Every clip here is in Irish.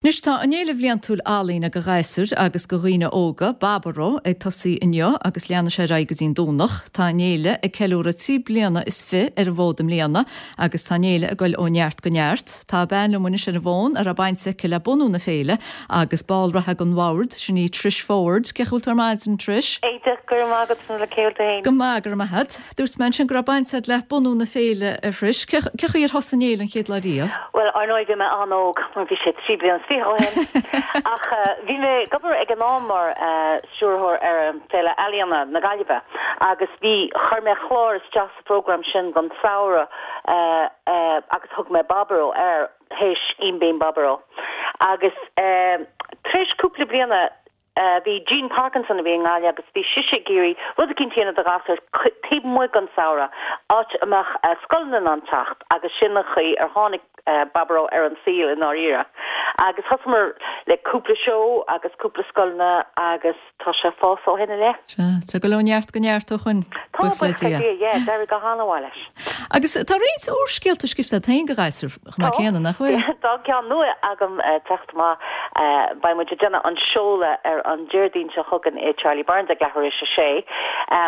Anois tá an fhéile bhliantúil ealaíne do ghasúir agus do dhaoine óga, Baboró, ag tosaí inniu agus leanfaidh sé ar aghaidh go dtí'n Domhnach. Tá an fhéile ag ceiliúradh 23 bliana ar an bhfód i mbliana agus tá an fhéile ag goil ó neart go neart. Tá bean liom anois ar an bhfón a raibh baint aici le bunú na féile agus ball reatha den bhord, sin í Trish Forde. Cén chaoi a bhfuil tú ar maidin, Trish? Íde, go raibh maith agat, cén chaoi a bhfuil tú féin? Go maith, go raibh maith agat. Dúirt mé ansin go raibh baint agat le bunú na féile, a Thrish. Cé chaoi ar thosaigh an fhéile an chéad lá riamh? Bhuel, ar ndóigh bhí mé an-óg mar bhí sé 23 bliana ó shin. Ach bhí mé ag obair ag an am mar stiúrthóir ar an Féile Ealaíona na Gaillimhe agus bhí, chuir mé clár isteach sa phrógram sin don samhradh agus thug mé Baboró air, théis Bim Bím Baboró. Agus tar éis cúpla bliana, Bhí Jean Parkinson a bhí i nGaillimh agus bhí sise ag iarraidh rud eicínt a dhéanamh do ghasúir taobh amuigh den samhradh, áit a mbeadh scoileanna in ann teacht agus sin an chaoi ar tháinig Baboró ar an saol i ndáiríre. Agus thosaíomar le cúpla seó agus cúpla scoileanna agus tá sé ag fás ó shin i leith. Sea, tá ag dul ó neart go neart ó shoin, Tá, buíochas le Dia. Yeah, d'éirigh go han-mhaith leis. Agus tá roinnt úrscéalta scríofa agat féin do ghasúir chomh maith céanna, nach bhfuil? Tá ceann nua agam ag teacht amach. Beidh muid ag déanamh an seoladh ar an Déardaoin seo chugainn i Charlie Byrne's ag leathuair théis a sé.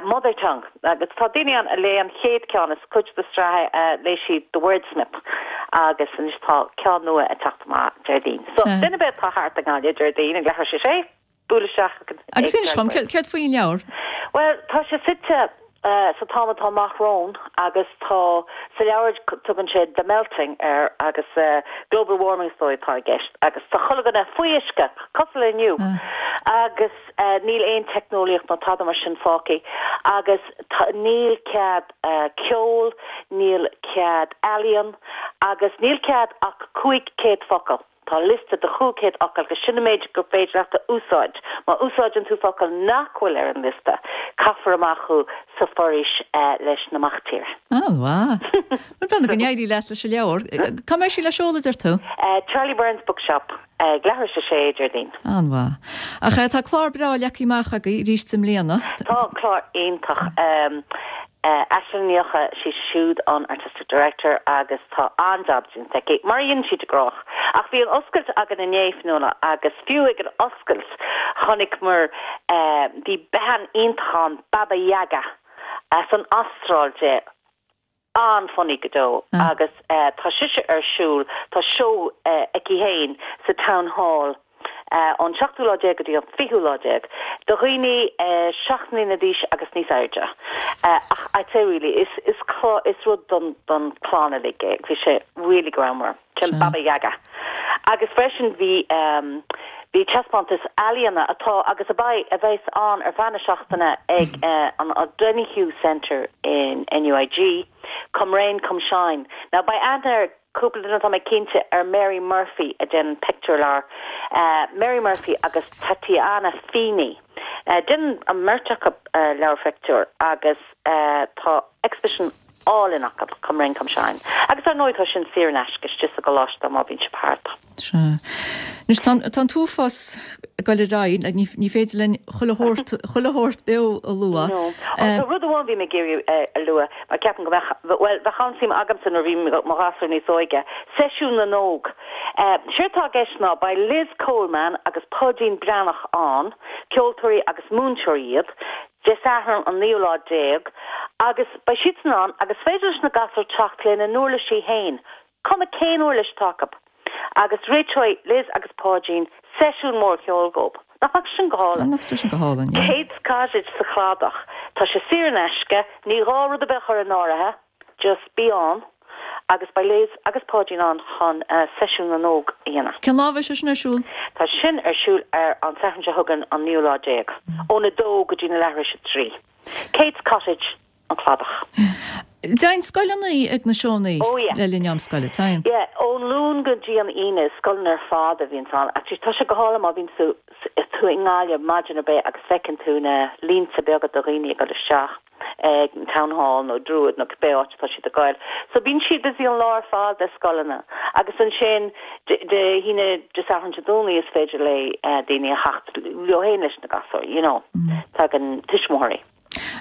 Mother Tongue. Agus tá daoine ann a léigh an chéad ceann, is cuid de sraith é, léigh siad The Wordsmith agus anois tá ceann nua ag teacht amach Déardaoin. So, duine ar bith atá thart i nGaillimh Déardaoin ag leathuair théis a sé, buail isteach ag Agus inis dom, céard faoin leabhar? Bhuel, tá sé suite sa t-am atá amach romhainn agus tá, sa leabhar tugann sé The Melting air agus global warming is dóigh atá i gceist agus tá chuile dhuine faoi uisce, cosúil le inniu, agus níl aon teicneolaíocht ná tada mar sin fágtha agus níl cead ceoil, níl cead ealaíon agus níl cead ach 500 focal. Tá liosta de 500 fhocal agus sin an méid gur féidir leat a úsáid. Má úsáideann tú focal nach bhfuil ar an liosta, caithfear amach thú sa foraois leis na mac tíre. An-mhaith. Bhuel, breathnaigh go n-éirí leat leis an leabhar. Cá mbeidh sí le seoladh, deir tú? Charlie Byrne's Bookshop, ag leathuair théis a sé, Déardaoin. An-mhaith. Ach tá clár breá leagtha amach agaibh arís i mbliana. Tá clár iontach. Aisling Ní Eocha, sí siúd an Artistic Director agus tá an-jab déanta aici, mar a dhéanann sí de gnách. Ach bhí an oscailt againn inné, Fionnuala, agus fiú ag an oscailt chonaiceamar, bhí bean iontach ann, Baba Yaga, as an Astráil di, an-funny go deo agus tá sise ar siúl, tá seó aici féin sa Town Hall. ón seachtú lá déag go dtí an fichiú lá déag, do dhaoine 7 mbliana d'aois agus níos airde. Ach I'd say really, is is is rud don don chlann uilig é. Bhí sé really greannmhar. Sin Baba Yaga. Agus freisin bhí bhí taispeántas ealaíona atá agus a beidh a bheas ann ar feadh na seachtaine ag an O'Donoghue Centre in NUIG, Come Rain, Come Shine. Now beidh aithne ar Cúpla duine, tá mé cinnte, ar Mary Murphy a déanann pictiúrleabhair. Mary Murphy agus Tatiana Feeney. Déanann an mbeirt acu leabhair phictiúr agus tá exhibition álainn acu, Come Rain Come Shine. Agus ar ndóigh tá sin saor in aisce istigh sa gcoláiste má bhíonn sibh thart. Sea. Anois tá an t-uafás ag dul ar aghaidh, ní féidir linn chuile shórt, chuile shórt beo a lua. No. Tá rud amháin bhí mé ag iarraidh a lua. Mar ceapaim go mbeadh, bhuel, bheadh an-suim agamsa nuair a bhí mo ghasúir níos óige. Seisiún na nÓg. Séard atá i gceist ná beidh Liz Coleman agus Páidín Breathnach ann, ceoltóirí agus múinteoirí iad, Dé Sathairn an naoú lá déag, agus beidh siadsan ann agus is féidir leis na gasúir teacht lena n-uirlisí féin, cuma cén uirlis atá acu. Agus réiteoidh Liz agus Páidín seisiún mór ceoil dhóibh. Nach mbeadh sin go hálainn? Nach mbeadh sin go hálainn, yeah. Kate's Cottage sa Chladach. Tá sé saor in aisce, ní gá rud ar bith a chur in áirithe, just bí ann agus beidh Liz agus Páidín ann chun seisiún na nÓg a dhéanamh. Cén lá a bheidh sé sin ar siúl? Tá sin ar siúl ar an Satharn seo chugainn, an naoú lá déag, ón 2 go dtí na leathuair théis a 3. Kate's Cottage. an Cladach. Téann scoileanna ag na seónna Oh yeah. le linn am scoile, téann? Yeah, ón Luan go dtí an Aoine, is scoileanna ar fad a bhíonns ann. Actually, tá sé go hálainn má bhíonn tú tú i nGaillimh maidin ar bith agus feiceann tú na línte beaga de dhaoine ag dul isteach ag an Town Hall nó Druid nó cibé áit atá siad ag goil. So bíonn siad busy an lá ar fad le scoileanna agus ansin Dé hAoine, Dé Sathairn, Dé Domhnaigh is féidir le daoine a theacht leo féin leis na gasúir, you know. Tagann tuismitheoirí.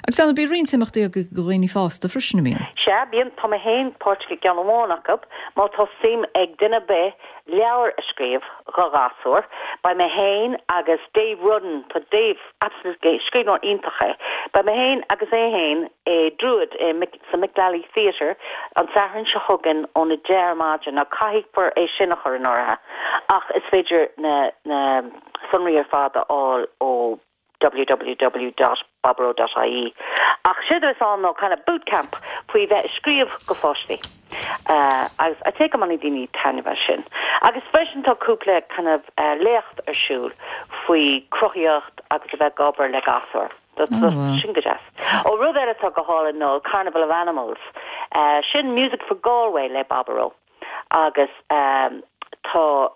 Agus ar ndóigh bíonn roinnt imeachtaí agaibh do dhaoine fásta freisin, an mbíonn? Sea, bíonn. Tá mé féin páirteach i gceann amháin acu. Má tá suim ag duine ar bith leabhar a scríobh dho ghasúir, beidh mé féin agus Dave Rudden, tá Dave absolutely, scríbhneoir iontach é, beidh mé féin agus é féin i Druid i sa Mick Lally Theatre an Satharn seo chugainn óna 10 ar maidin. Now caithfear é sin a chur in áirithe ach is féidir na na sonraí ar fad a fháil ó www.baboró.ie Ach séard a bheas ann ná kind of boot camp faoi bheith ag scríobh go pháistí agus I'd say go mbainfidh daoine taitneamh as sin. Agus freisin tá cúpla kind of léacht ar siúl faoi cruthaíocht agus a bheith ag obair le gasúir. Sin go deas. Ó rud eile atá go hálainn ná Carnival of Animals. Sin Music for Galway le Baboró. agus tá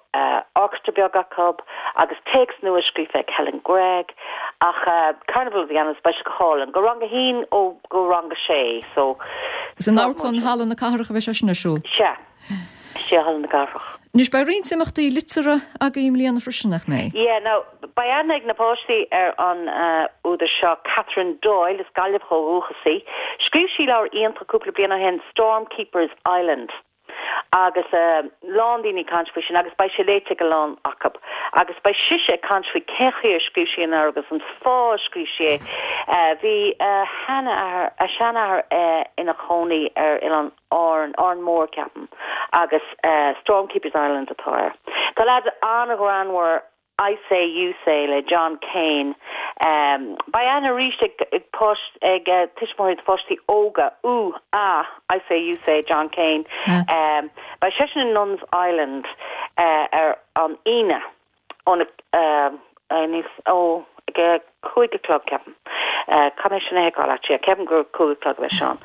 orchestra beag acu agus téacs nua scríofa ag Helen Gregg ach Carnival of the Animals beidh sé go hálainn go rang a haon ó go rang a sé so Is in Amharclann Halla na Cathrach a bheidh sé sin ar siúl? Sea, sea Halla na Cathrach. Anois beidh roinnt imeachtaí liteartha agaibh i mbliana freisin, nach mbeidh? Yeah, now beidh aithne ag na páistí ar an údar seo, Catherine Doyle, is Gaillimheach ó dhúchas í. Scríobh sí leabhar iontach cúpla bliain ó shin, Storm Keeper's Island, agus a lán daoine ag caint faoi sin agus beidh sé léite ag a lán acu. Agus beidh sise ag caint faoi cén chaoi ar scríobh sí an leabhar agus an fáth a scríobh sí é. Bhí a sheanathair, a seanathair ina chónaí ar oileán Árann, Árainn Mhór ceapaim, agus Storm Keeper's Island atá air. Tá leaid an-ghreannmhar I Say You Say le John Keane. Beidh aithne arís ag ag tuismitheoirí do pháistí óga, Ooh Ah, I Say You Say, John Keane. Beidh seisean i Nuns Island ar an Aoine. Óna, níos, ó, ag a 5 a chlog, ceapaim. Caithfidh mé sin a sheiceáil actually, ceapaim gur 5 a chlog a bheidh sé ann.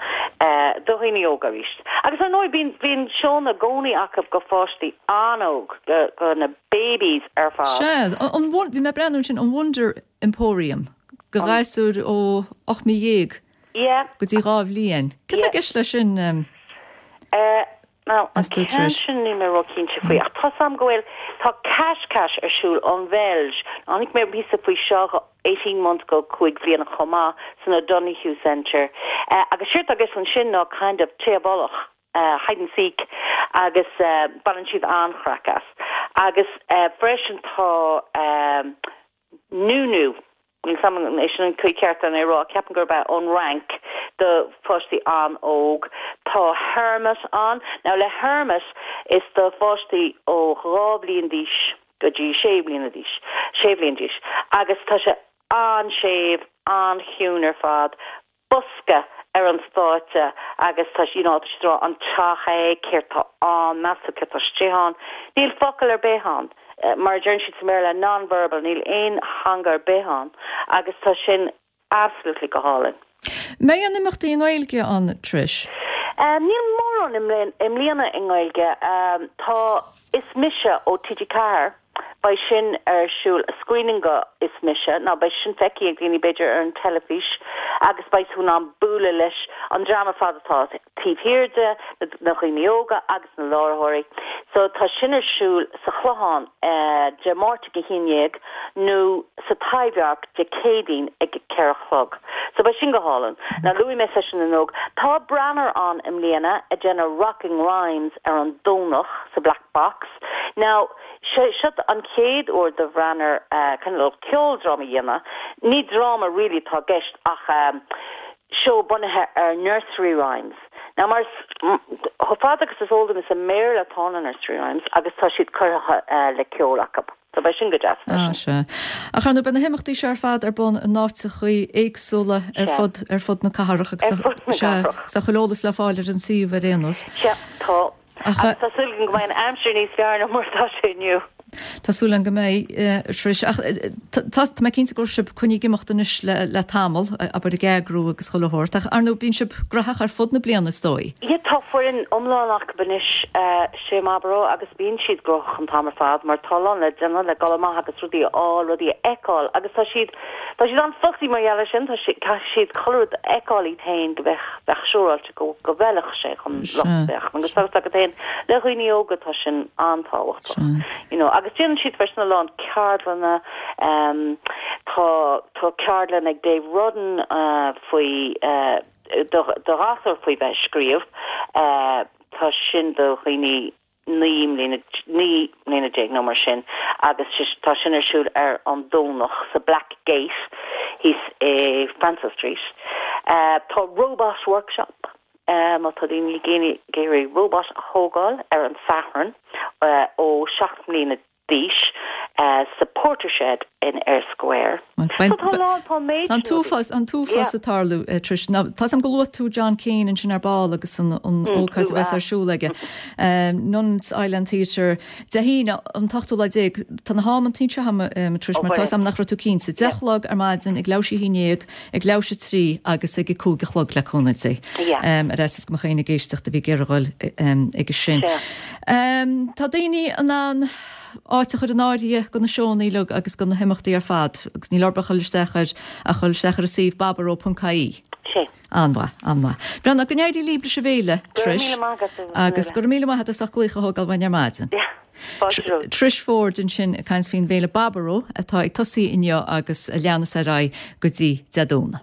Do dhaoine óga arís. Agus ar ndóigh bíonn, bíonn seónna i gcónaí acu go pháistí an-óg, go, go na babies ar fad. Sea, an, bhí mé ag breathnú ansin, an Wonder Emporium, go ghasúir ó 18 mí Yeah. go dtí 2 bhliain. Cad tá i gceist leis sin? Eh, Now, an ceann sin níl mé ró-chinnte faoi, ach tá's a'm go bhfuil, tá Cash Cash ar siúl ón Bheilg. Chonaic mé píosa faoi seo 18 months go 5 bhliana chomh maith san O'Donoghue Centre. Agus séard atá i gceist ansin ná kind of téigh i bhfolach, hide and seek, agus baineann siad an-chraic as. Agus freisin tá Nounou, níl 's a'm an é sin an chaoi ceart ar é a rá, ceapaim gurb ea, ón Fhrainc do pháistí an-óg. Tá Hermit ann. Now le Hermit is do pháistí ó 2 bhliain d'aois go dtí 6 bliana d'aois, 6 bhliain d'aois agus tá sé an-séimh, an-chiúin ar fad. bosca ar an stáitse agus tá you know tá siad ag rá an teach é, céard tá ann, meas tú céard tá istigh ann. Níl focal ar bith ann. Mar a deireann siad sa mBéarla non-verbal, níl aon theanga ar bith ann agus tá sin absolutely go hálainn. Mbeidh aon imeachtaí i nGaeilge ann, Trish? Níl mórán i mbliana i nGaeilge. Tá Is Mise ó TG4, beidh sin ar siúl, screening go Is Mise, now beidh sin feicthe ag daoine b'fhéidir ar an teilifís agus beidh tú in ann bualadh leis an dream ar fad atá taobh thiar de, na dhaoine óga agus na láithreoirí. So tá sin ar siúl sa Chlochán Dé Máirt ag a haon dhéag nó sa Taibhdhearc Dé Céadaoin ag a 4 a chlog. So beidh sin go hálainn. Now luaigh mé Seisiún na nÓg. Tá Branar ann i mbliana ag déanamh Rocking Rhymes ar an Domhnach sa Black Box. Now sé seo an chéad uair do Bhranar cineál ceoldráma a dhéanamh. Ní dráma really atá i gceist ach seó bunaithe ar nursery rhymes. Now mar chomh fada agus is eol dom is i mBéarla atá na nursery rhymes agus tá siad curtha le ceol acu. So beidh sin go deas freisin. Ah, sea. Ach ar ndóigh beidh na himeachtaí seo ar fad ar bun in áiteachaí éagsúla ar fud, ar fud na cathrach agus Ar fud na sea, cathrach. tá chuile eolas le fáil ar an suíomh ar aon nós. Sea, tá. Ach, Agus tá súil againn go mbeidh an aimsir níos fearr ná mar atá sé inniu. Tá súil againn go mbeidh, Trish. Ach tá, tá mé cinnte go raibh sibh coinnithe ag imeacht anois le, le tamall, abair ag eagrú agus chuile shórt. Ach ar ndóigh bíonn sibh graitheach ar fud na bliana is dóigh. Yeah, tá foireann iomlán acu anois, sé Baboró agus bíonn siad gnóthach an t-am ar fad mar tá a lán le déanamh le dul amach agus rudaí a fháil, rudaí a fheiceáil agus tá siad, tá siad an-fussy mar gheall air sin, tá siad, caithfidh siad chuile rud a fheiceáil iad féin go bheadh, bheadh siúráilte go, go bhfeilfeadh sé chun lucht féachana agus tá a fhios agat féin le dhaoine óga tá sin an-tábhachtach you know agus déanann. Déanann siad freisin a lán ceardlanna. Tá tá ceardlann ag Dave Rudden faoi do do ghasúir faoi bheith ag scríobh. Tá sin do dhaoine 19 mbliana, 19 mbliana nó mar sin agus tá sin ar siúl ar an Domhnach sa Black Gate thíos i Francis Street. Tá Robot Workshop, má tá daoine ag iarraidh robot a thógáil ar an Satharn ó 7 mbliana d'aois sa Portershed in Eyre Square. So tá a lán, tá an méid Tá an t-uafás, an t-uafás ag tarlú, Trish. Now, tá 's a'm gur luaigh tú John Keane ansin ar ball agus an ócáid a bheas ar siúl aige. Nun's Island Theatre, Dé hAoine, an t-ochtú lá déag. Tá na hamantaí anseo a'm, Trish, mar tá 's a'm nach raibh tú cinnte. 10 a chlog ar maidin, ag leathuair théis a 11, ag leathuair théis 3 agus ag a 5 a chlog le cúnamh Dé. Ar fhaitíos go mbeadh éinne ag éisteacht a bhí ag iarraidh dhul aige sin. Tá daoine in ann áit a chur in áirithe do na seónna uilig agus do na himeachtaí ar fad agus níl orthu ach dhul isteach ar ach dhul isteach ar an suíomh baboró.ie. An-mhaith, an-mhaith. Bhuel, go n-éirí libh leis an bhféile, Trish. Agus go raibh míle maith agat as ucht glaoch a thógáil uainn ar maidin. Trish Forde ansin ag caint faoin bhféile Baboró atá ag tosaí inniu agus a leanas ar aghaidh go dtí Dé Domhnaigh.